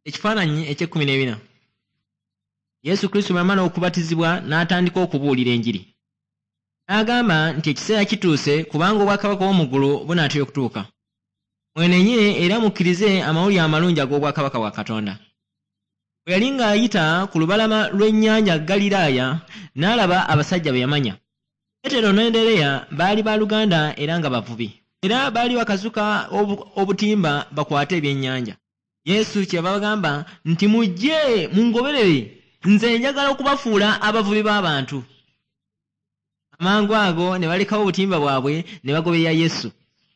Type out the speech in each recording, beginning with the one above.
Ekifaananyi eky'ekkumi n'ebina. Yesu Kristo bwe yamala okubatizibwa n'atandika okubuulira enjiri. N'agamba nti ekiseera kituuse kubanga obwakabaka bw'omu ggulu bunaatera okutuuka. Mwenenye era mukkirize amawulire amalungi ag'obwakabaka bwa Katonda. Bwe yali ng'ayita ku lubalama lw'ennyanja Ggaliraaya, n'alaba abasajja be yamanya. Peetero ne Andereya baali baaluganda era nga bavubi. Era baali bakazuka obutimba bakwate ebyennyanja. Yesu kyeyava abagamba nti, Mujje mungoberere, nze njagala okubafuula abavubi b'abantu. Amangu ago ne balekawo obutimba bwabwe ne bagoberera Yesu.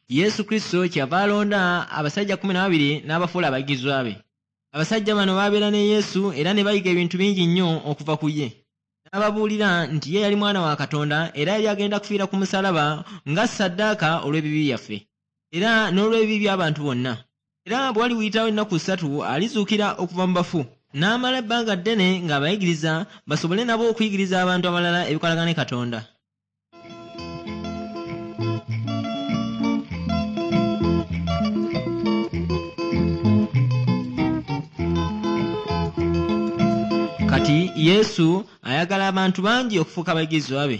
Yesu Kristo kyeyava alonda abasajja 12 n'abafuula abayigirizwa be. Abasajja bano baabeera ne Yesu era ne bayiga ebintu bingi nnyo okuva ku ye. N'ababuulira nti ye yali mwana wa Katonda era yali agenda kufiira ku musaalaba nga ssaddaaka olw'ebibi byaffe era n'olw'ebibi by'abantu bonna. Era bwe waliuyitawo ennaku ssatu alizuukira okuva mu bafu. N'amala ebbanga ddene ng'abayigiriza basobole nabo okuyigiriza abantu abalala ebikwatagana ne Katonda. Kati Yesu ayagala abantu bangi okufuuka abayigirizwa be.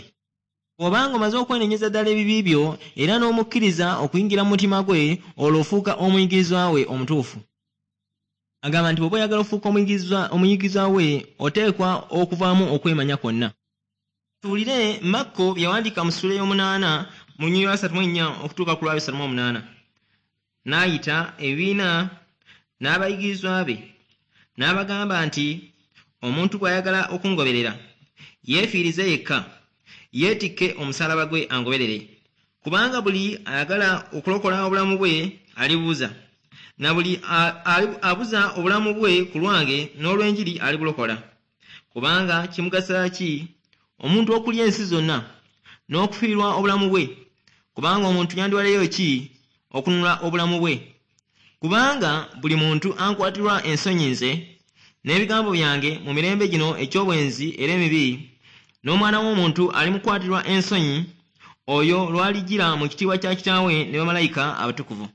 Bw'oba ng'omaze okwenenyeza ddala ebibi byo era n'omukkiriza okuyingira mu mutima gwe, olwo ofuuka omuyigirizwa we omutuufu. Agamba nti bw'oba oyagala okufuuka omuyigirizwa we, oteekwa okuvaamu okwemanya kwonna. Tuwulire Makko bye yawandiika mu ssuula ey'omunaana mu lunyiriri lwa 34 okutuuka ku lwa 38. N'ayita ebibiina n'abayigirizwa be, n'abagamba nti, Omuntu bw'ayagala okungoberera, yeefiirize yekka, yeetikke omusaalaba gwe angoberere. Kubanga buli ayagala okulokola obulamu bwe alibubuza, na buli abuza obulamu bwe ku lwange n'olw'enjiri alibulokola. Kubanga kimugasa ki omuntu okulya ensi zonna n'okufiirwa obulamu bwe? Kubanga omuntu yandiwaddeyo ki okununula obulamu bwe? Kubanga buli muntu ankwatirwa ensonyi nze n'ebigambo byange mu mirembe gino egy'obwenzi era emibi, n'Omwana w'Omuntu alimukwatirwa ensonyi oyo lw'alijjira mu kitiibwa kya Kitaawe ne bamalayika abatukuvu.